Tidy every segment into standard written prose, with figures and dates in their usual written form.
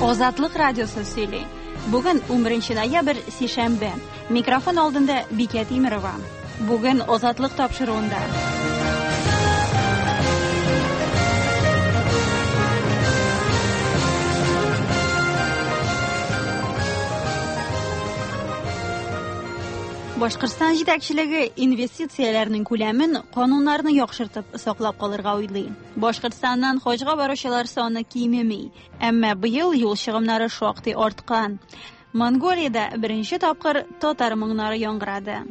Азатлык радиосы сөйли. Бүген 11 ноябрь, сишәмбе. Микрофон алдында Бикә Тимерова. Бүген Азатлык тапшыруында. Башкортстан җитәкчелеге инвестицияләрнең күләмен кануннарны яхшыртып саклап калырга уйлый. Башкортстаннан хаҗга баручылар саны кимеми, әмма быел юл чыгымнары шактый арткан. Монголиядә беренче тапкыр татар моңнары яңгырады.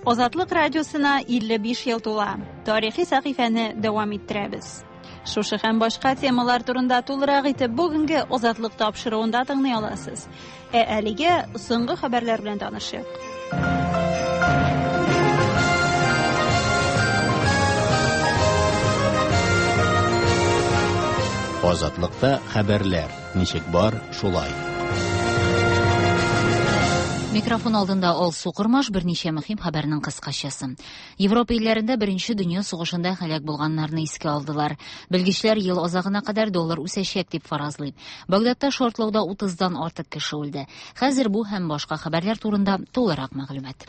Азатлык радиосына 55 ел тула. Тарихи сәхифәне дәвам иттерәбез. Шушы һәм башка темалар турында тулырак итеп бүгенге Азатлык тапшыруында тыңлый аласыз. Ә әлегә соңгы хәбәрләр белән танышыйк. Азатлыкта хәбәрләр ничек бар, шулай. Микрофон алдында Алсу Кормаш, берничә мөһим хәбәрнең кыскачасы. Европа илләрендә Беренче дөнья сугышында һәлак булганнарны искә алдылар. Белгечләр ел азагына кадәр доллар үсәчәк дип фаразлый. Багдадта шартлауда 30-дан артык кеше үлде. Хәзер бу һәм башка хәбәрләр турында тулырак мәгълүмат.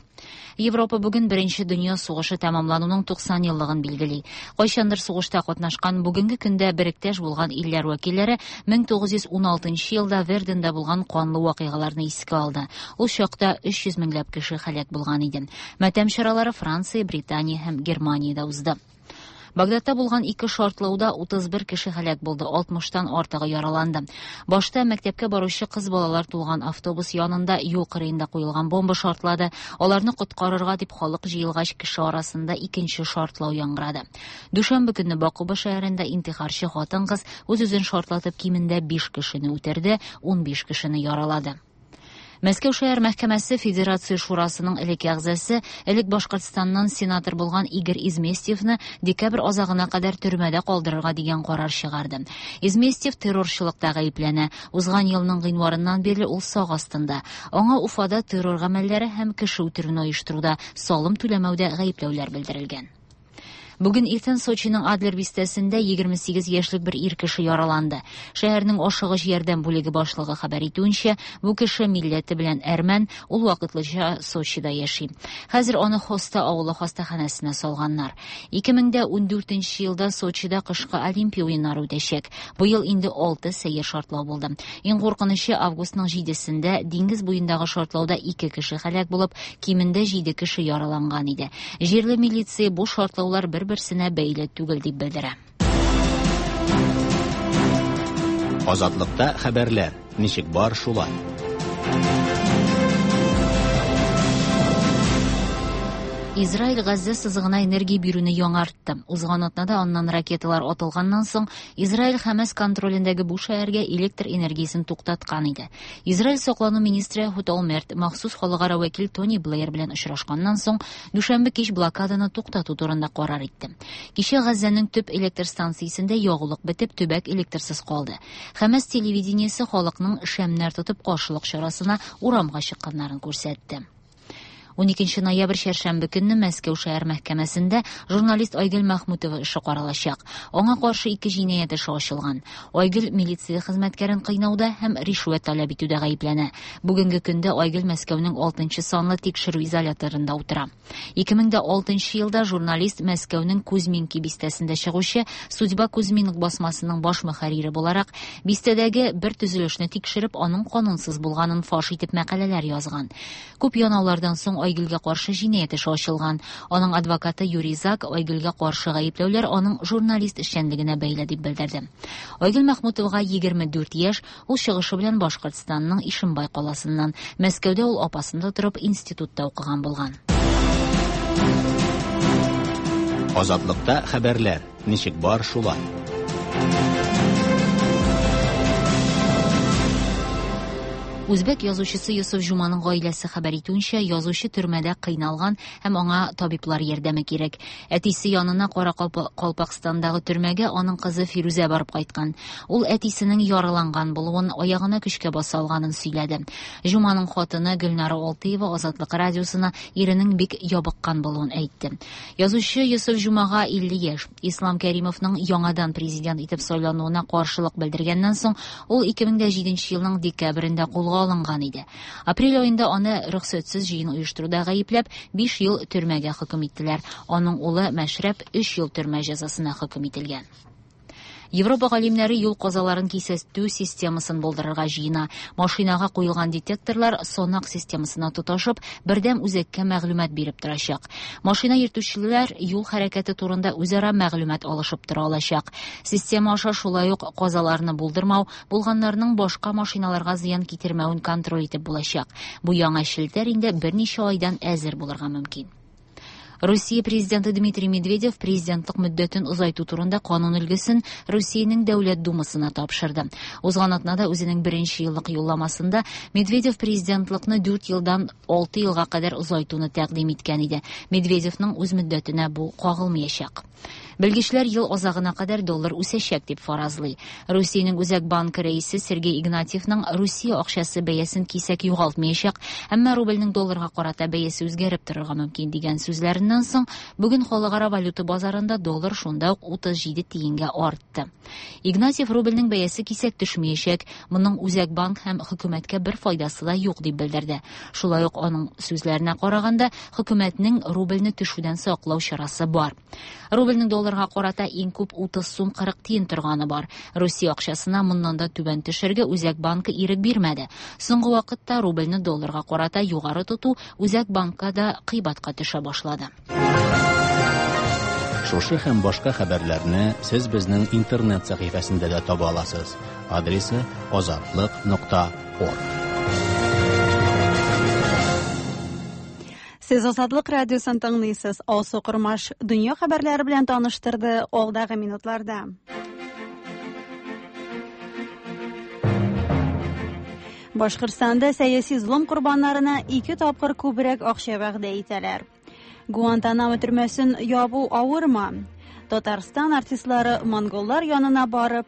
Европа бүген Беренче дөнья сугышы тәмамлануның 90 еллыгын билгели. Кайчандыр сугышта катнашкан, бүгенге көндә беректәш булган илләр вәкилләре 1916 елда Верденда булган канлы вакыйгаларны искә алды. Ул чакта 300 меңләп кеше һәлак булган иде. Матәм чаралары Франция, Британия һәм Германиядә узды. Багдадта булган ике шартлауда 31 кеше һәлак булды, 60-тан артыгы яраланды. Башта мәктәпкә баручы кыз балалар тулган автобус янында юл кырыенда куелган бомба шартлады. Аларны коткарырга дип халык җыелгач, кеше арасында икенче шартлау яңгырады. Дүшәмбе көнне Бакуба шәһәрендә интихарчы хатын-кыз үз-үзен шартлатып кимендә 5 кешене үтерде, 15 кешене яралады. Мәскәү шәһәр мәхкәмәсе Федерация Шурасының элекке әгъзасы, элек Башкортстаннан сенатор булган Игорь Изместьевны декабрь азагына кадәр төрмәдә калдырырга дигән карар чыгарды. Изместьев террорчылыкта гаепләнә. Узган елның гыйнварыннан бирле ул сак астында. Аңа Уфада террор гамәлләре һәм кеше үтерүне оештыруда, салым түләмәүдә гаепләүләр белдерелгән. Бүген иртән Сочиның Адлер бистәсендә 28 яшьлек бер ир кеше яраланды. Шәһәрнең ашыгыч ярдәм бүлеге башлыгы хәбәр итүенчә, бу кеше милләте белән әрмән, ул вакытлыча Сочида яши. Хәзер аны Хоста авылы хастаханәсенә салганнар. 2014 елда Сочида кышкы Олимпия уеннары үтәчәк. Быел инде 6 сәер шартлау булды. Иң куркынычы августның 7-сендә диңгез буендагы шартлауда 2 кеше һәлак булып, кимендә 7 кеше яраланган иде. Җирле милиция бу шартлаулар бер-берсенә бәйле түгел дип белдерә. Азатлыкта хәбәрләр ничек бар, шулай. Израиль Газзә сызыгына энергия бирүне яңартты. Узган атнада аннан ракеталар атылганнан соң, Израиль Хәмәс контролендәге бу шәһәргә электр энергиясен туктаткан иде. Израиль саклану министры Эхуд Олмерт махсус халыкара вәкил Тони Блэйр белән очрашканнан соң, дүшәмбе кич блокаданы туктату турында карар итте. Кичә Газзәнең төп электр станциясендә ягулык бетеп, төбәк электрсыз калды. Хәмәс телевидениесе халыкның шәмнәр тотып каршылык чарасына урамга чыкканнарын күрсәтте. 12 ноябрь чәршәмбе көнне Мәскәү шәһәр мәхкәмәсендә журналист Айгөл Мәхмүтова эше каралачак. Аңа каршы ике җинаять эше ачылган. Айгөл милиция хезмәткәрен кыйнауда һәм ришвәт таләп итүдә гаепләнә. Бүгенге көндә Айгөл Мәскәүнең 6 санлы тикшерү изоляторында утыра. 2006 елда журналист Мәскәүнең Кузьминки бистәсендә чыгучы Судьба Кузьминок басмасының баш мөхәррире буларак бистәдәге бер төзелешне тикшереп, аның канунсыз булганын фаш итеп мәкаләләр язган. Күп янаулардан соң Айгөлгә каршы җинаять эше ачылган. Аның адвокаты Юрий Зак Айгөлгә каршы гаепләүләр аның журналист эшчәнлегенә бәйле дип белдерде. Айгөл Мәхмүтовага 24 яшь, ул чыгышы белән Башкортстанның Ишембай каласыннан. Мәскәүдә ул апасында торып институтта укыган булган. Азатлыкта хәбәрләр ничек бар, шулай. Үзбәк язучысы Йосыф Җуманың гаиләсе хәбәр итүенчә, язучы төрмәдә кыйналган һәм аңа табиблар ярдәме кирәк. Әтисе янына Каракалпакстандагы төрмәгә аның кызы Фирүзә барып кайткан. Ул әтисенең яраланган булуын, аягына көчкә баса алганын сөйләде. Җуманың хатыны Гөлнара Алтыева Азатлык радиосына иренең бик ябыккан булуын әйтте. Язучы Йосыф Җумага 50 яшь. Ислам Кәримовның яңадан президент итеп сайлануына каршылык белдергәннән соң, ул 2007 елның декабрендә кулга алынган иде. Апрель аенда аны рөхсәтсез җыен оештыруда гаепләп, 5 ел төрмәгә хөкем иттеләр. Аның улы Мәшрәп 3 ел төрмә җәзасына хөкем ителгән. Европа галимнәре юл казаларын кисәтү системасын булдырырга җыена. Машинага куелган детекторлар санак системасына тоташып, бердәм үзәккә мәгълүмат биреп торачак. Машина йөртүчеләр юл хәрәкәте турында үзара мәгълүмат алышып тора алачак. Система аша шулай ук казаларны булдырмау, булганнарның башка машиналарга зыян китермәвен контроль итеп булачак. Бу яңа челтәр инде берничә айдан әзер булырга мөмкин. Русия президенты Дмитрий Медведев президентлык мөддәтен озайту турында канун өлгесен Русиянең Дәүләт Думасына тапшырды. Узган атнада үзенең беренче еллык юлламасында Медведев президентлыкны 4 елдан 6 елга кадәр озайтуны тәкъдим иткән иде. Медведевның үз мөддәтенә бу кагылмаячак. Белгечләр ел азагына кадәр доллар үсәчәк дип фаразлый. Русиянең Үзәк банкы рәисе Сергей Игнатьевның Русия акчасы бәясен кисәк югалтмаячак, әмма рубльнең долларга карата бәясе үзгәреп торырга мөмкин дигән сүзләреннән соң, бүген халыкара валюта базарында доллар шунда ук 37 тиенгә артты. Игнатьев рубльнең бәясе кисәк төшмәячәк, моның Үзәк банк һәм хөкүмәткә бер файдасы да юк дип белдерде. Шулай ук аның сүзләренә караганда, хөкүмәтнең рубльне төшүдән саклау чарасы бар. Рубльнең долларга карата иң күп 30 сум 40 тиен торганы бар. Русия акчасына моннан да түбән төшәргә Үзәк банкы ирек бирмәде. Соңгы вакытта рубльне долларга карата югары тоту Үзәк банкка да кыйбатка төшә башлады. Шушы һәм башка хәбәрләрне сез безнең интернет сәхифәсендә дә таба аласыз. Адресы azatliq.org. Сез Азатлык радиосын тыңлыйсыз. Алсу Кормаш дөнья хәбәрләре белән таныштырды алдагы минутларда. Башкортстанда сәяси золым корбаннарына 2 тапкыр күбрәк акча вәгъдә итәләр. Гуантанамо төрмәсен ябу авырмы? Татарстан артистлары монголлар янына барып,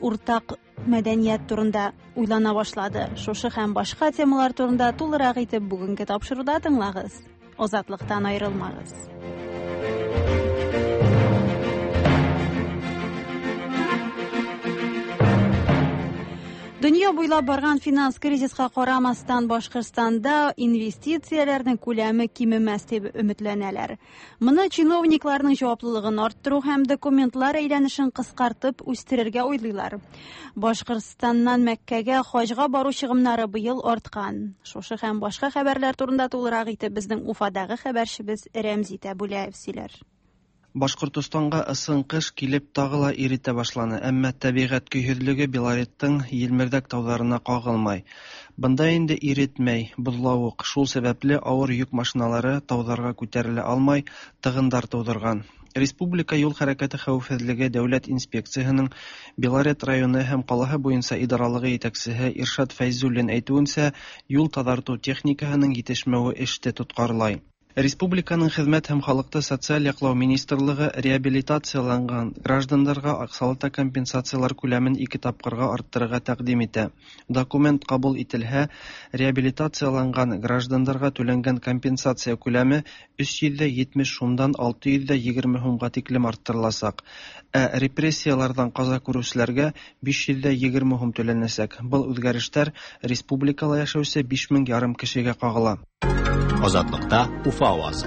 уртак мәдәният турында уйлана башлады. Шушы һәм башка темалар турында тулырак итеп бүгенге тапшыруда тыңлагыз. Азатлыктан аерылмагыз. Дөнья буйлап барган финанс кризиска карамастан Башкортстанда инвестицияләрнең күләме кимемәс дип өметләнәләр. Моны чиновникларның җаваплылыгын арттыру һәм документлар әйләнешен кыскартып үстерергә уйлыйлар. Башкортстаннан Мәккәгә хаҗга бару чыгымнары быел арткан. Шушы һәм башка хәбәрләр турында тулырак итеп безнең Уфадагы хәбәрчебез Рәмзи Тәбүләев сөйләр. Башкортостанга ысын кыш килеп тагы ла иретә башланы, әмма тәбиғәт көйһөҙлөгө Белореттың Елмерҙәк тауҙарына ҡағылмай. Бында инде иретмәй, боҙлауыҡ, шул сәбәпле ауыр йөк машиналары тауҙарға күтәрелә алмай, тығындар тыуҙырған. Республика юл хәрәкәте хәүефһеҙлеге дәүләт инспекцияһының Белорет районы һәм ҡалаһы буйынса идаралығы етәксеһе Иршат Фәйзуллин әйтеүенсә, юл таҙартыу техникаһының етешмәүе эште тотҡарлай. Республиканың хеҙмәт һәм халыҡты социаль яҡлау министрлығы реабилитацияланған граждандарға аҡсалата компенсациялар күләмен 2 тапҡырға арттырырға тәҡдим итә. Документ ҡабул ителһә, реабилитацияланған граждандарға түләнгән компенсация күләме 370 һумдан 620 һумға тиклем арттырыласаҡ. Ә репрессияларҙан ҡаза күреүселәргә 520 һум түләнәсәк. Был үҙгәрештәр республикала йәшәүсе биш мең ярым кешегә ҡағыла. Азатлыкта Уфа авазы.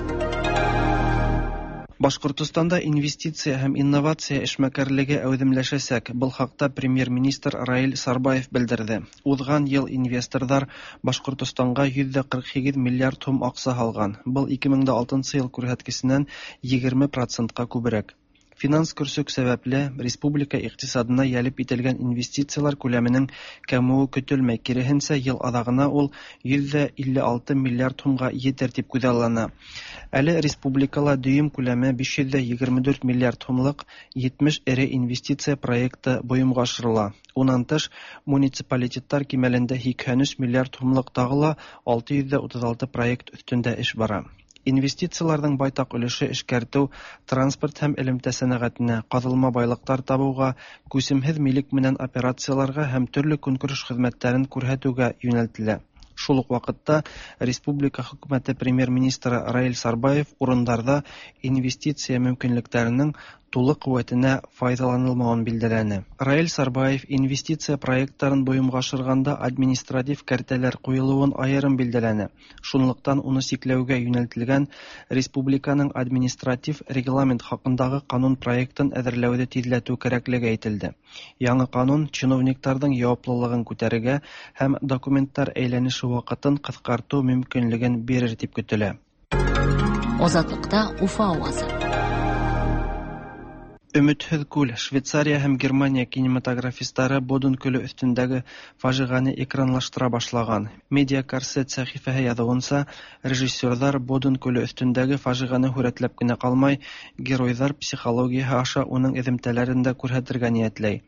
Башкортостанда инвестиция һәм инновация эшмәкәрлеге әүҙемләшәсәк. Был хаҡта премьер-министр Раил Сарбаев белдерҙе. Уҙған йыл инвесторҙар Башкортостанға 148 миллиард һум аҡса һалған. Был 2006 йыл күрһәткесенән 20%-ҡа күберәк. Финанс көрсөк сәбәпле республика икътисадына йәлеп ителгән инвестицияләр күләменең кәмүе көтелмәй, киреһенсә, ел аҙағына ул 156 миллиард һумға етер тип күҙаллана. Әле республикала дөйөм күләме 524 миллиард һумлыҡ 70 эре инвестиция проекты бойомға ашырыла. Унан тыш, муниципалитеттар кимәлендә 83 миллиард һумлыҡ тағы ла 636 проект өҫтөндә эш бара. Инвестицияларҙың байтаҡ өлөшө эшкәртеү, транспорт һәм элемтә сәнәғәтенә, ҡаҙылма байлыҡтар табыуға, күсемһеҙ милек менән операцияларға һәм төрлө көнкүреш хеҙмәттәрен күрһәтеүгә йүнәлтелә. Шул уҡ ваҡытта республика хөкүмәте премьер-министры Раил Сарбаев урындарҙа инвестиция мөмкинлектәренең тулы ҡеүәтенә файҙаланылмауын билдәләне. Раил Сарбаев инвестиция проекттарын бойомға ашырғанда административ кәртәләр ҡуйылыуын айырым билдәләне. Шунлыҡтан уны сикләүгә йүнәлтелгән республиканың административ регламент хаҡындағы ҡанун проектын әҙерләүҙе тиҙләтеү кәрәклеге әйтелде. Яңы ҡанун чиновниктарҙың яуаплылығын күтәрергә һәм документтар әйләнеше ваҡытын ҡыҫҡартыу мөмкинлеген бирер тип көтөлә. Азатлыкта Уфа авазы. Өмөтһөҙ күл. Швейцария һәм Германия кинематографистары Боден күле өҫтөндәге фажиғәне экранлаштыра башлаған. Медиа Корсет сәхифәһе яҙыуынса, режиссерҙар Боден күле өҫтөндәге фажиғәне һүрәтләп кенә ҡалмай, геройҙар психологияһы аша уның эҙемтәләрен дә күрһәтергә ниәтләй.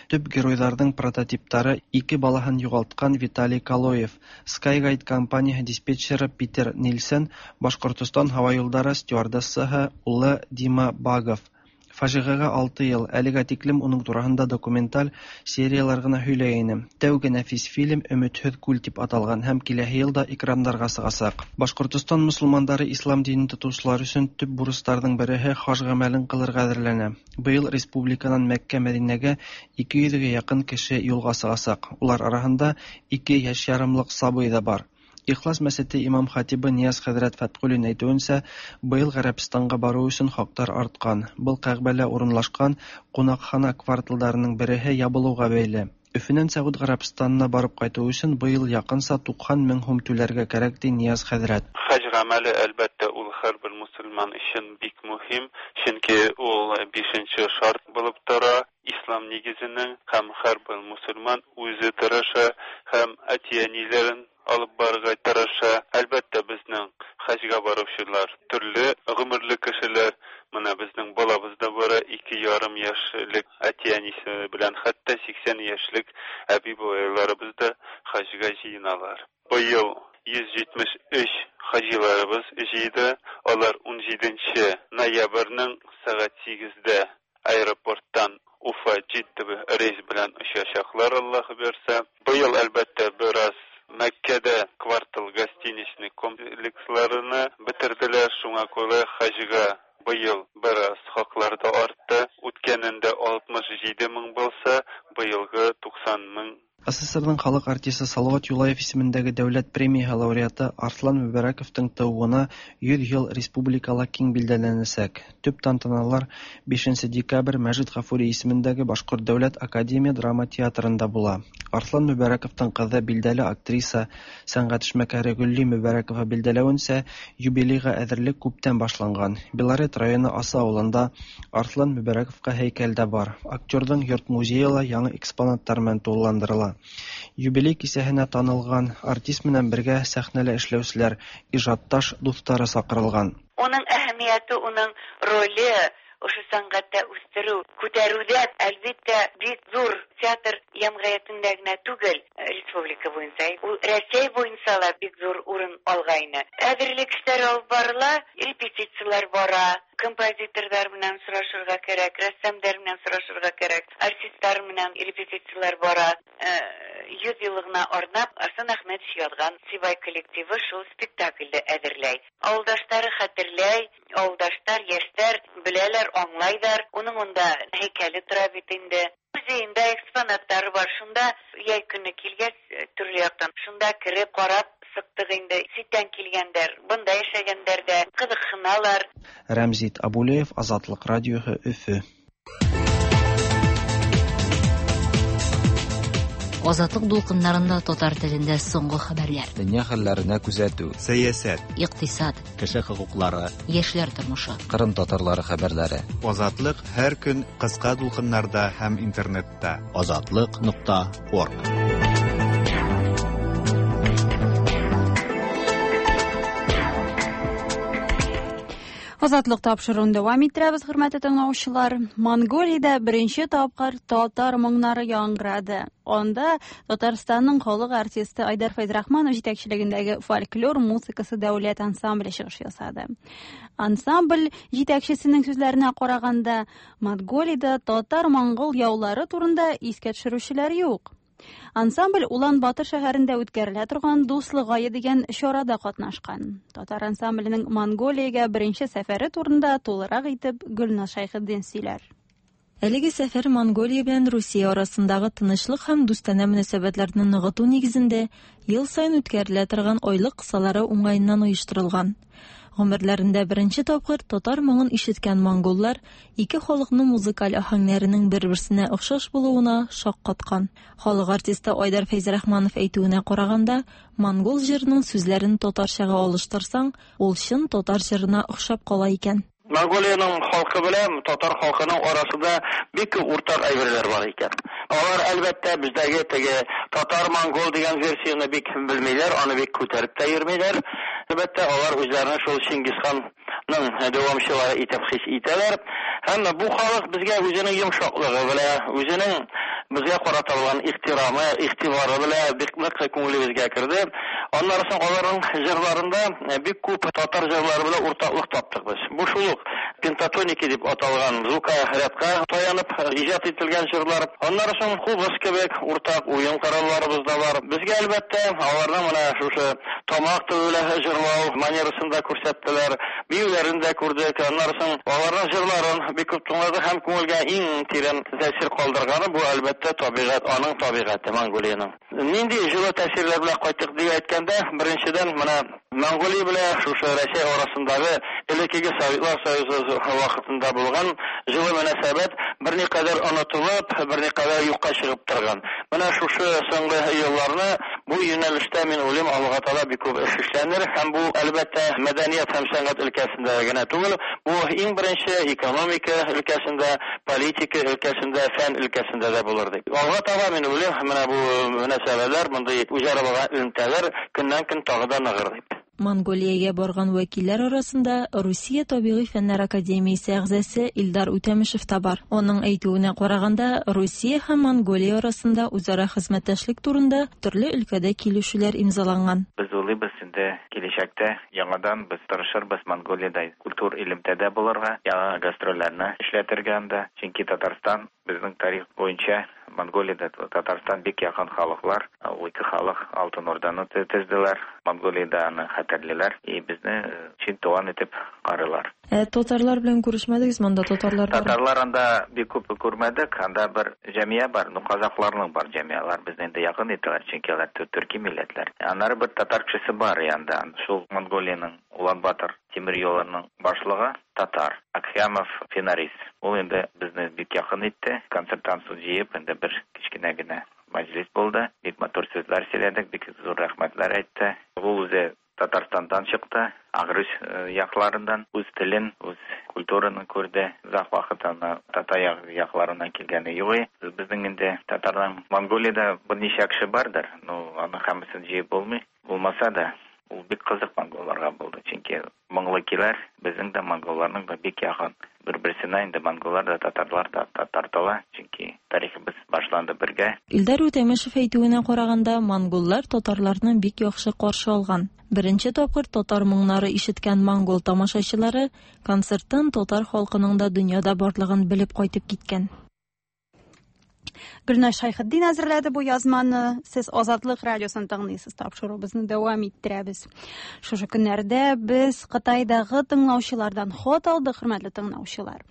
Төп геройҙарҙың прототиптары ике балаһын юғалтҡан Виталий Калоев, Skyguide компанияһы диспетчеры Питер Нильсен, Башҡортостан һауа юлдары стюардессаһы улы Дима Багов. Фажиғәгә 6 йыл, әлегә тиклем уның тураһында документаль сериялар ғына һөйләй ине. Тәүге нәфис фильм Өмөтһөҙ күл тип аталған һәм киләһе йылда экрандарға сығасаҡ. Башҡортостан мосолмандары ислам динен тотоусылар өсөн төп бурыстарҙың береһе хаж ғәмәлен ҡылырға әҙерләнә. Быйыл республиканан Мәккә, Мәҙинәгә 200-гә яҡын кеше юлға сығасаҡ. Улар араһында 2 йәш ярымлыҡ сабый ҙа бар. Ихлас мәсете имам хатибы Нияз хәҙрәт Фәтҡуллин әйтеүенсә, быйыл Ғәрәбстанға барыу өсөн хаҡтар артҡан. Был Ҡәғбәлә урынлашҡан ҡунаҡхана кварталдарының береһе ябылыуға бәйле. Өфөнән Сәғүд Ғәрәбстанына барып ҡайтыу өсөн быйыл яҡынса 90 мең һум түләргә кәрәк, ти Нияз хәҙрәт. Хаж ғәмәле, әлбәттә, ул һәр бер мосолман өсөн бик мөһим, сөнки ул 5-нче шарт булып тора ислам нигеҙенең, һәм һәр бер мосолман үҙе тырыша һәм әти-әниләрен алып барырға тырыша. Әлбәттә, безнең хаҗга баручылар төрле гомерле кешеләр. Менә безнең балабыз да бара 2,5 яшьлек әти-әнисе белән, хәтта 80 яшьлек әби-бабайларыбыз да хаҗга җыеналар. Быел 173 хаҗиларыбыз җыйды. Алар 17 ноябрьнең сәгать 8-дә аэропорттан Уфа Җидда рейс белән очачаклар, Аллаһ бирсә. Быел, әлбәттә, бераз Мәккәдә квартал гостиничный комплексларını бетерделәр, шуңа күрә хаҗга быел бераз хаклар да артты. Үткәнендә 67 мең булса, быелгы 90 мең. СССРның халыҡ артисы Салауат Юлаев исемендәге дәүләт премияһы лауреаты Арслан Мөбәрәковтың тыуыуына 100 йыл республикала киң билдәләнәсәк. Төп тантаналар 5 декабрь Мәжит Ғафури исемендәге Башҡорт дәүләт академия драма театрында була. Арслан Мөбәрәковтың ҡыҙы билдәле актриса, сәнғәт эшмәкәре Гөлли Мөбәрәкова билдәләүенсә, юбилейға әҙерлек күптән башланған. Белорет районы Аса ауылында Арслан Мөбәрәковҡа һәйкәл дә бар. Актерҙың йорт музейы ла яңы экспонаттар менән тулыландырыла. Юбилей кисәһенә танылған артист менән бергә сәхнәлә эшләүселәр, ижадташ дуҫтары саҡырылған. Уның әһәмиәте, уның роле ошо сәнғәттә үҫтереү, күтәреүҙә, әлбиттә, бик ҙур театр йәмғиәтендә генә түгел, республика буйынса, ул Рәсәй буйынса ла бик ҙур урын алғайны. Әҙерлек эштәре алып барыла, репетициялар бара, композиторҙар менән сорашырға кәрәк, рәссамдар менән сорашырға кәрәк, артисттар менән репетициялар бара. 100 йыллығына арнап Арслан Әхмәтович яҙған Сибай коллективы шул спектаклде әҙерләй. Ауылдаштары хәтерләй, ауылдаштар, йәштәр беләләр, аңлайҙар. Уның унда һәйкәле тора бит инде. Музейында экспонаттары бар. Шунда йәй көнө килгәс, төрлө яҡтан шунда кереп ҡарап сыҡтыҡ инде. Ситтән килгәндәр, бында йәшәгәндәр ҙә ҡыҙыҡһыналар. Рәмзит Абулеев, Азатлыҡ радиоһы, Өфө. Азатлык дулкыннарында татар телендә соңгы хәбәрләр. Дөнья хәлләренә күзәтү. Сәясәт. Икътисад. Кеше хокуклары. Яшьләр тормышы. Кырым татарлары хәбәрләре. Азатлык һәр көн кыска дулкыннарда һәм интернетта. Азатлык.орг. Азатлык тапшыруын дәвам иттерәбез, хөрмәтле тыңлаучылар. Монголиядә беренче тапкыр татар моңнары яңгырады. Анда Татарстанның халык артисты Айдар Фәйзрахманов җитәкчелегендәге фольклор музыкасы дәүләт ансамбле чыгыш ясады. Ансамбль җитәкчесенең сүзләренә караганда, Монголиядә татар-монгол яулары турында искә төшерүчеләр юк. Ансамбль Улан-Батор шәһәрендә үткәрелә торган Дуслык ае дигән чарада катнашкан. Татар ансамбленең Монголиягә беренче сәфәре турында тулырак итеп Гөлназ Шәйхетдин сөйләр. Әлеге сәфәр Монголия белән Русия арасындагы тынычлык һәм дустанә мөнәсәбәтләрне ныгыту нигезендә ел саен үткәрелә торган айлык кысалары уңаеннан оештырылган. Гомерләрендә беренче тапкыр татар моңын ишеткән монголлар ике халыкның музыкаль аһәңнәренең бер-берсенә охшаш булуына шаккаткан. Халык артисты Айдар Фәйзрахманов әйтүенә караганда, монгол җырының сүзләрен татарчага алыштырсаң, ул чын татар җырына охшап кала икән. Монголиянең халкы белән татар халкының арасында бик күп уртак әйберләр бар икән. Алар әлбәттә бездәге теге татар-монгол дигән версияне бик белмиләр, аны бик күтәреп тә йөрмиләр. Әлбәттә, алар үзләрен шул Чингисханның дәвамчылары итеп хис итәләр. Һәм бу халык безгә үзенең йомшаклыгы белән, үзенең безгә карата булган ихтирамы, игътибары белән бик нык күңелебезгә керде. Аннары соң аларның җырларында бик күп татар җырлары белән уртаклык таптык без. Бу шул ук пентатоники дип аталган звукорядка таянып иҗат ителгән җырлар. Аннары соң кубыз кебек уртак уен коралларыбыз да бар. Безгә әлбәттә аларның менә шушы тамак төбе белән җырлау манерасын да күрсәттеләр, биюләрен дә күрдек. Аннары соң аларның җырларын бик күп тыңладык һәм күңелгә иң тирән тәэсир калдырганы бу әлбәттә табигать, аның табигате Монголиянең. Нинди җылы тәэсирләр белән кайттык дип әйткәндә, беренчедән менә Монголия белән шушы Россия арасындагы элеккеге Советлар Союзы вакытында булган җылы мөнәсәбәт берникадәр онытылып, берникадәр юкка чыгып торган. Менә шушы соңгы елларны бу юнәлештә мин уйлыйм, Аллаһ Тәгалә бик күп эш эшләнер һәм бу әлбәттә мәдәният һәм сәнгать өлкәсендә генә түгел, бу иң беренче экономика өлкәсендә, политика өлкәсендә, фән өлкәсендә дә булыр дип. Алга таба мин уйлыйм, менә бу мөнәсәбәтләр, мондый үзара булган элемтәләр көннән-көн тагы да ныгыр дип. Монголиягә барган вәкилләр арасында Русия табигый фәннәр академиясе әгъзасы Илдар Үтәмешев та бар. Аның әйтүенә караганда, Русия һәм Монголия арасында үзара хезмәттәшлек турында төрле өлкәдә килешүләр имзаланган. Без уйлыйбыз инде киләчәктә яңадан без тырышырбыз Монголиядә культур элемтәдә булырга, яңа гастрольләрне эшләтергә анда. Чөнки Татарстан безнең тарих буенча Монголиядә Татарстан бик якын халыклар, ул ике халык Алтын Урданы төзделәр. Монголиядә аны хәтерлиләр и безне чын туган итеп карыйлар. Ә татарлар белән күрешмәдегез монда татарлар бар? Татарлар анда бик күп күрмәдек, анда бер җәмия бар, ну казахларның бар җәмиялар, безне инде якын итәләр, чөнки алар төрки милләтләр. Аннары бер татар кешесе бар янда, шул Монголиянең Улан-Батор тимер юлының башлыгы татар Акхямов Финарис. Ул инде безне бик якын итте. Концерттан соң җыеп, инде бер кечкенә генә мәҗлес булды. Бик матур сүзләр сөйләдек, бик зур рәхмәтләр әйтте. Ул үзе Татарстандан чыкты, Агрыз якларындан, үз телен, үз культураны күрде. Озак вакыт аны татар якларыннан килгәне юк. Безнең инде татардан Монголиядә берничә кеше бардыр, но аны һәммәсен җыеп булмый. Булмаса да, ул бик кызык монголларга булды, чөнки моңлы киләр, безнең дә монголларның да бик якын. Бер-берсенә инде монголлар да, татарлар да тартыла, чөнки тарихыбыз башланды бергә. Илдар Үтәмешев әйтүенә караганда, монголлар татарларны бик яхшы каршы алган. Беренче тапкыр татар моңнары ишеткән монгол тамашачылары концерттан татар халкының да дөньяда барлыгын белеп кайтып киткән. Гөлназ Шәйхетдин әзерләде бу язманы. Сез Азатлык радиосын тыңлыйсыз, тапшыруыбызны дәвам иттерәбез. Шушы көннәрдә без Кытайдагы тыңлаучылардан хат алдык, хөрмәтле тыңлаучылар.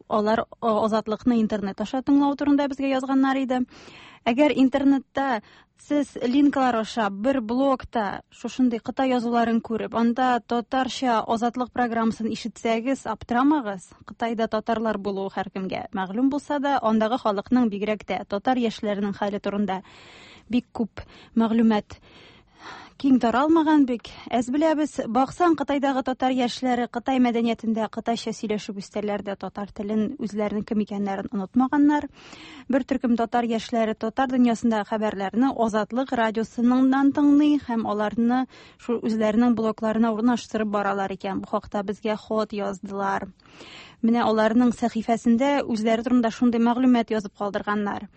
Алар Азатлыкны интернет аша тыңлау турында безгә язганнар иде. Әгәр интернетта сез линклар аша бер блогта шушындый Кытай язуларын күреп, анда татарча Азатлык программасын ишетсәгез, аптырамагыз. Кытайда татарлар булуы һәркемгә мәгълүм булса да, андагы халыкның бигрәк тә татар яшьләренең хәле турында Бик күп мәгълүмат киң таралмаган, бик әз беләбез. Баксаң, Кытайдагы татар яшьләре Кытай мәдәниятендә кытайча сөйләшеп үстәләр дә, татар телен, үзләренең кем икәннәрен онытмаганнар. Бер төркем татар яшьләре татар дөньясындагы хәбәрләрне Азатлык радиосыннан тыңлый һәм аларны шул үзләренең блогларына урнаштырып баралар икән. Бу хакта безгә хат яздылар. Менә аларның сәхифәсендә үзләре турында шундый мәгълүмат язып калдырганнар.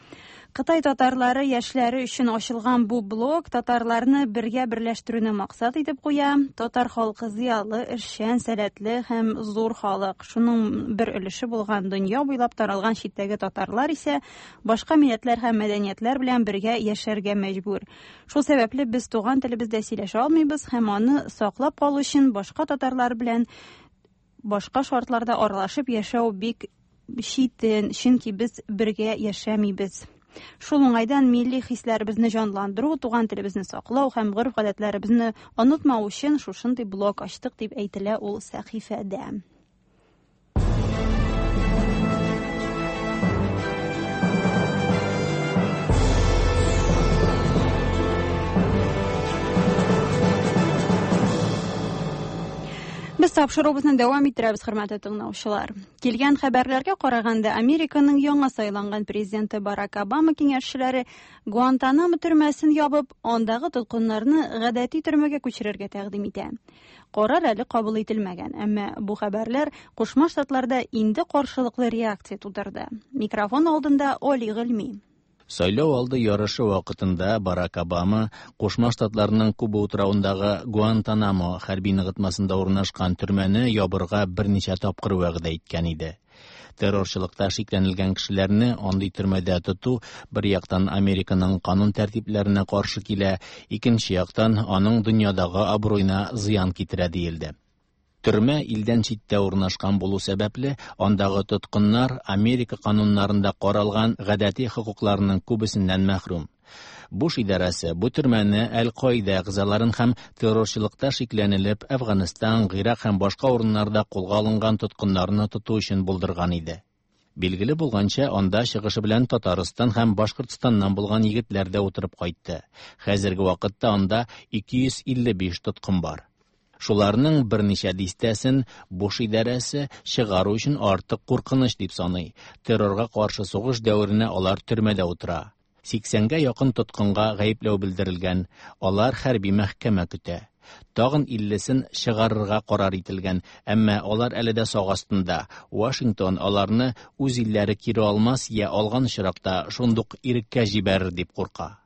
Кытай татарлары яшьләре өчен ачылган бу блог татарларны бергә берләштерүне максат итеп куя. Татар халкы зыялы, эшчән, сәләтле һәм зур халык. Шуның бер өлеше булган дөнья буйлап таралган читтәге татарлар исә башка милләтләр һәм мәдәниятләр белән бергә яшәргә мәҗбүр. Шул сәбәпле без туган телебездә сөйләшә алмыйбыз һәм аны саклап калу өчен башка татарлар белән башка шартларда аралашып яшәү бик читен, чөнки без бергә яшәмибез. Шул уңайдан милли хисләребезне җанландыру, туган телебезне саклау һәм гореф-гадәтләребезне онытмау өчен шушындый блог ачтык, дип әйтелә ул сәхифәдә. Без тапшыруыбызны дәвам иттерәбез, хөрмәтле тыңлаучылар. Килгән хәбәрләргә караганда, Американың яңа сайланган президенты Барак Обама киңәшчеләре Гуантанамо төрмәсен ябып, андагы тоткыннарны гадәти төрмәгә күчерергә тәкъдим итә. Карар әле кабул ителмәгән, әмма бу хәбәрләр Кушма Штатларда инде каршылыклы реакция тудырды. Микрофон алдында Оли Гыйльми. Сайлау алды ярышы вакытында Барак Обама Кушма Штатларның Куба утравындагы Гуантанамо хәрби ныгытмасында урнашкан төрмәне ябырга берничә тапкыр вәгъдә иткән иде. Террорчылыкта шикләнелгән кешеләрне андый төрмәдә тоту бер яктан Американың канун тәртипләренә каршы килә, икенче яктан аның дөньядагы абруена зыян китерә диелде. Төрмә илдән читтә урнашкан булу сәбәпле, андагы тоткыннар Америка кануннарында каралган гадәти хокукларының күбесеннән мәхрүм. Буш идарәсе бу төрмәне Әл-Каида әгъзаларын һәм террорчылыкта шикләнелеп Әфганстан, Гыйрак һәм башка урыннарда кулга алынган тоткыннарны тоту өчен булдырган иде. Билгеле булганча, анда чыгышы белән Татарстан һәм Башкортстаннан булган егетләр дә утырып кайтты. Хәзерге вакытта анда 255 тоткын бар. Шуларның берничә дистәсен Буш идарәсе чыгару өчен артык куркыныч дип саный. Террорга каршы сугыш дәверенә алар төрмәдә утыра. 80-гә якын тоткынга гаепләү белдерелгән, алар хәрби мәхкәмә көтә. Тагын 50-сен чыгарырга карар ителгән, әмма алар әле дә сак астында. Вашингтон аларны үз илләре кире алмас я алган очракта шундук иреккә җибәрер дип курка.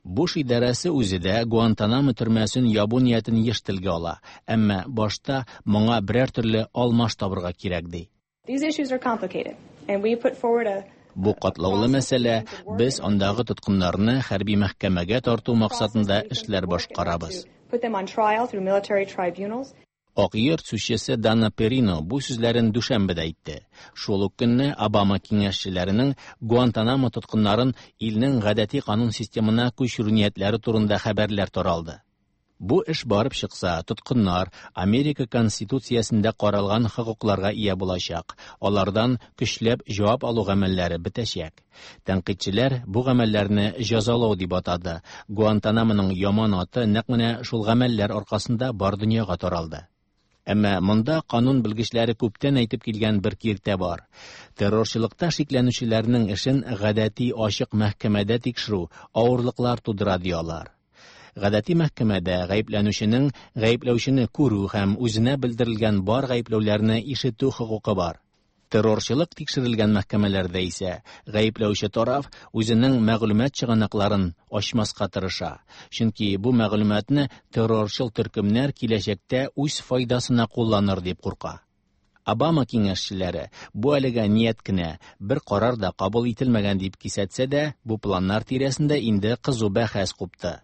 Буш идарәсе үзе дә Гуантанамо төрмәсен ябу ниятен еш телгә ала, әмма башта моңа берәр төрле алмаш табырга кирәк ди. These issues are complicated, and we put forward a Бу катлаулы мәсьәлә, без андагы тоткыннарны хәрби мәхкәмәгә тарту максатында эшләр башкарабыз. put them on trial through military tribunals. Ак йорт сүзчесе Дана Перино бу сүзләрен дүшәмбедә әйтте. Шул ук көнне Обама киңәшчеләренең Гуантанамо тоткыннарын илнең гадәти канун системына күчерү ниятләре турында хәбәрләр таралды. Бу эш барып чыкса, тоткыннар Америка Конституциясендә каралган хокукларга ия булачак. Алардан көчләп җавап алу гамәлләре бетәчәк. Тәнкыйтьчеләр бу гамәлләрне җәзалау дип атады. Гуантанамоның яман аты нәкъ менә шул гамәлләр аркасында бар дөньяга таралды. Әмма монда канун белгечләре күптән әйтеп килгән бер киртә бар. Террорчылыкта шикләнүчеләрнең эшен гадәти ачык мәхкәмәдә тикшерү авырлыклар тудыра ди алар. Гадәти мәхкәмәдә гаепләнүченең гаепләүчене күрү һәм үзенә белдерелгән бар гаепләүләрне ишетү хокукы бар. Террорчылык тикшерелгән мәхкәмәләрдә исә гаепләүче тараф үзенең мәгълүмат чыганакларын ачмаска тырыша. Чөнки бу мәгълүматны террорчыл төркемнәр киләчәктә үз файдасына кулланыр дип курка. Обама киңәшчеләре бу әлегә ният кенә, бер карар да кабул ителмәгән дип кисәтсә дә, бу планнар тирәсендә инде кызу бәхәс купты.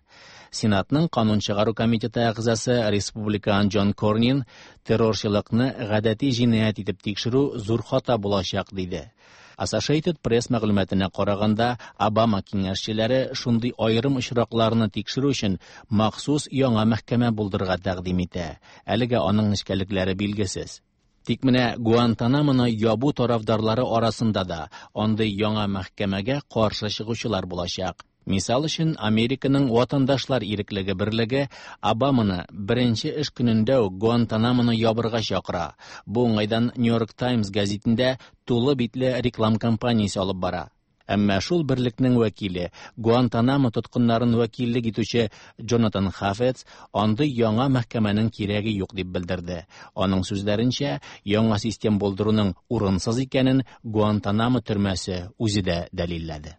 Сенатның канун чыгару комитеты әгъзасы республикан Джон Корнин террорчылыкны гадәти җинаять итеп тикшерү зур хата булачак диде. Associated Press мәгълүматына караганда, Обама киңәшчеләре шундый аерым очракларны тикшерү өчен махсус яңа мәхкәмә булдырырга тәкъдим итә. Әлегә аның нечкәлекләре билгесез. Тик менә Гуантанамоны ябу тарафдарлары арасында да андый яңа мәхкәмәгә каршы чыгучылар булачак. Мисал өчен, Американың Ватандашлар иреклеге берлеге Обаманы беренче эш көнендә үк Гуантанамоны ябырга чакыра. Бу уңайдан New York Times гәзитендә тулы битле реклам кампаниясе алып бара. Әмма шул берлекнең вәкиле, Гуантанамо тоткыннарын вәкиллек итүче Джонатан Хафец андый яңа мәхкәмәнең кирәге юк дип белдерде. Аның сүзләренчә, яңа систем булдыруның урынсыз икәнен Гуантанамо төрмәсе үзе дә дәлилләде.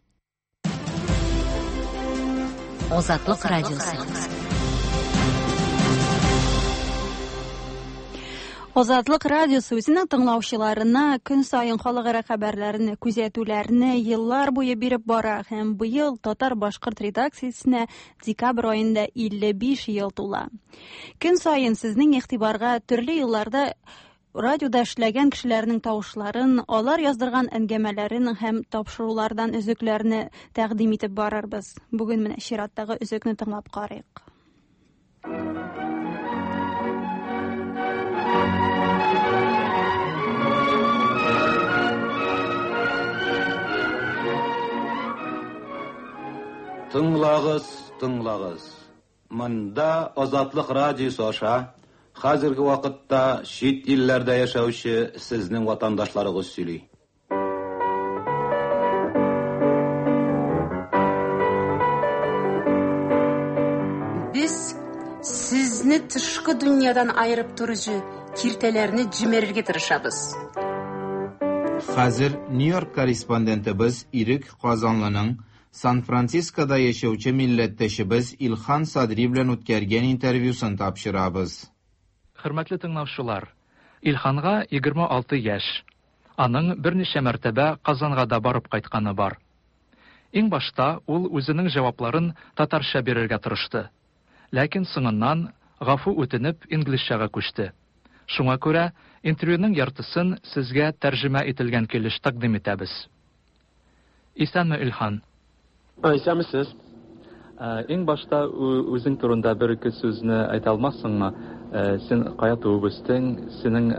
Азатлык радиосы. Азатлык радиосы үзенең тыңлаучыларына көн саен халыкара хәбәрләрне, күзәтүләрне еллар буе биреп бара һәм быел татар-башкорт редакциясенә декабрь аенда 55 ел тула. Көн саен сезнең игътибарга төрле елларда радиода эшләгән кешеләрнең тавышларын, алар яздырган әңгәмәләрен һәм тапшырулардан өзекләрне тәкъдим итеп барырбыз. Бүген менә чираттагы өзекне тыңлап карыйк. Тыңлагыз, тыңлагыз. Монда Азатлык радиосы аша хәзерге вакытта чит илләрдә яшәүче сезнең ватандашларыгыз сөйли. Без сезне тышкы дөньядан аерып торучы киртәләрне җимерергә тырышабыз. Хәзер Нью-Йорк корреспондентыбыз Ирек Казанлының Сан-Францискода яшәүче милләттәшебез Илхан Садри белән үткәргән интервьюсын тапшырабыз. Хөрмәтле тыңлаучылар, Илханга 26 яшь. Аның берничә мәртәбә Казанга да барып кайтканы бар. Иң башта ул үзенең җавапларын татарча бирергә тырышты. Ләкин соңыннан гафу үтенеп инглизчәгә күчте. Шуңа күрә интервьюның яртысын сезгә тәрҗемә ителгән килеш тәкъдим итәбез. Исәнме, Илхан? Исәнмесез. Иң башта үзең турында бер-ике сүзне әйтә алмассыңмы? Син кая туып үстең? Синең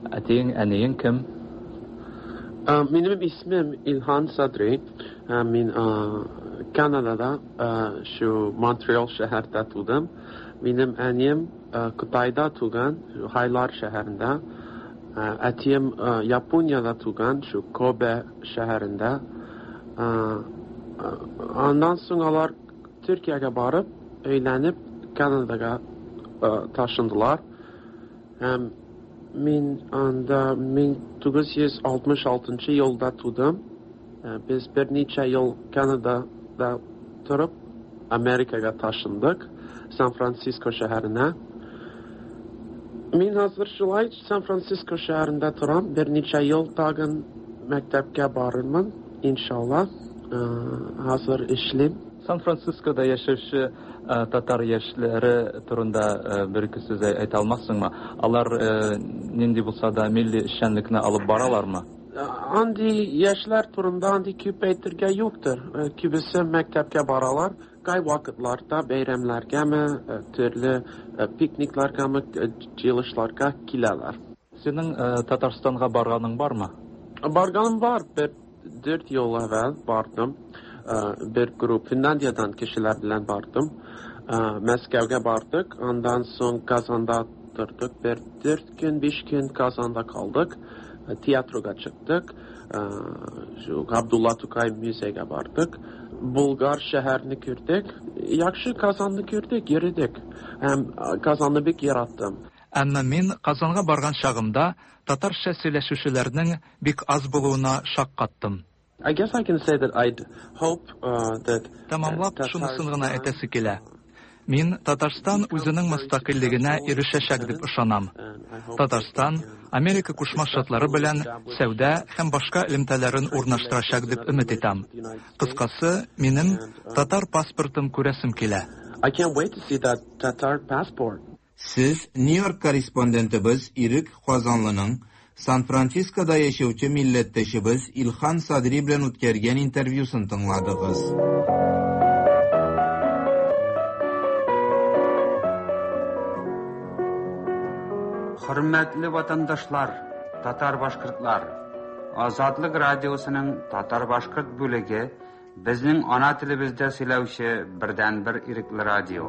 әтиең, әниең кем? Минем исемем Илхан Садри. Мин Канадада, шу Монреаль шәһәрдә тудым. Минем әнием Кытайда туган, Хайлар шәһәрендә. Әтием Япониядә туган, шу Кобе шәһәрендә. Аннан соң алар Төркиягә барып, өйләнеп, Канадага ташындылар. Һәм мин анда 1966 елда тудым. Без берничә ел Канадада торып, Америкага ташындык, Сан-Франциско шәһәренә. Мин хәзер шулай Сан-Франциско шәһәрендә торам. Берничә ел тагын мәктәпкә барырмын, иншалла. Хәзер эшлим. Сан-Францискода яшәүче татар яшьләре турында бер-ике сүз әйтә алмассыңмы? Алар нинди булса да милли эшчәнлекне алып баралармы? Андый яшьләр турында андый күп әйтергә юктыр. Күбесе мәктәпкә баралар. Кайвакытларда бәйрәмнәргәме, төрле пикникларгамы, җыелышларга киләләр. Синең Татарстанга барганың бармы? Барганым бар. Бер 4 ел әвәл бардым. Бер групп Финляндиядән кешеләр белән бардым. Мәскәүгә бардык. Аннан соң Казанда тордык. Бер 4 көн, 5 көн Казанда калдык. Театрга чыктык. Шу Габдулла Тукай музейга бардык. Булгар шәһәрне күрдек. Яхшы Казанны күрдек, йөрдек. Һәм Казанны бик яраттым. Әмма мин Казанга барган чагымда татарча сөйләшүчеләрнең бик аз булуына шаккаттым. I guess I can say that I'd hope that Тәмамлап шунысын гына әйтәсе килә. Мин Татарстан үзенең мөстәкыйльлегенә ирешәчәк дип ышанам. Татарстан Америка Кушма Штатлары белән сәүдә һәм башка элемтәләрен урнаштырачак дип өмет итәм. Кыскасы, минем татар паспортын күрәсем килә. I can't wait to see that Tatar passport. Сез Нью-Йорк корреспондентыбыз Ирек Казанлының Сан-Францискода яшәүче милләттәшебез Илхан Садри белән үткәргән интервьюсын тыңладыгыз. Хөрмәтле ватандашлар, татар-башкортлар! Азатлык радиосының татар-башкорт бүлеге Безнең ана телебездә сөйләүче бердәнбер ирекле радио.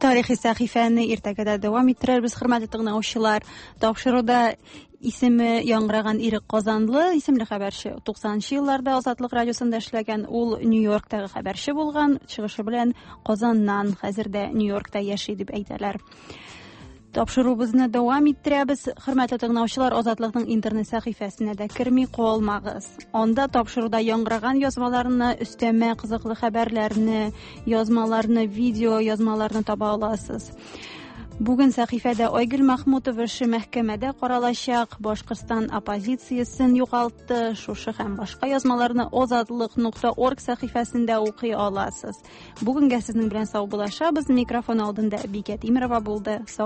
Тарихи сәхифәне иртәгә дә дәвам иттерербез, хөрмәтле тыңлаучылар. Тапшыруда исеме яңгыраган Ирек Казанлы исемле хәбәрче 90 елларда Азатлык радиосында эшләгән, ул Нью-Йорктагы хәбәрче булган, чыгышы белән Казаннан, хәзер дә Нью-Йоркта яши дип әйтәләр. Тапшыруыбызны дәвам иттерәбез. Хөрмәтле тыңлаучылар, Азатлыкның интернет сәхифәсенә дә керми калмагыз. Анда тапшыруда яңгыраган язмаларны, өстәмә кызыклы хәбәрләрне, язмаларны, видео язмаларны таба аласыз. Бүген сәхифәдә Айгөл Махмутова эше мәхкәмәдә каралачак, Башкортстан оппозициясен югалтты. Шушы һәм башка язмаларны озатлык.орг сәхифәсендә укый аласыз. Бүгенгә сезнең белән саубуллашабыз. Микрофон алдында Бикә Тимерова булды. Сау.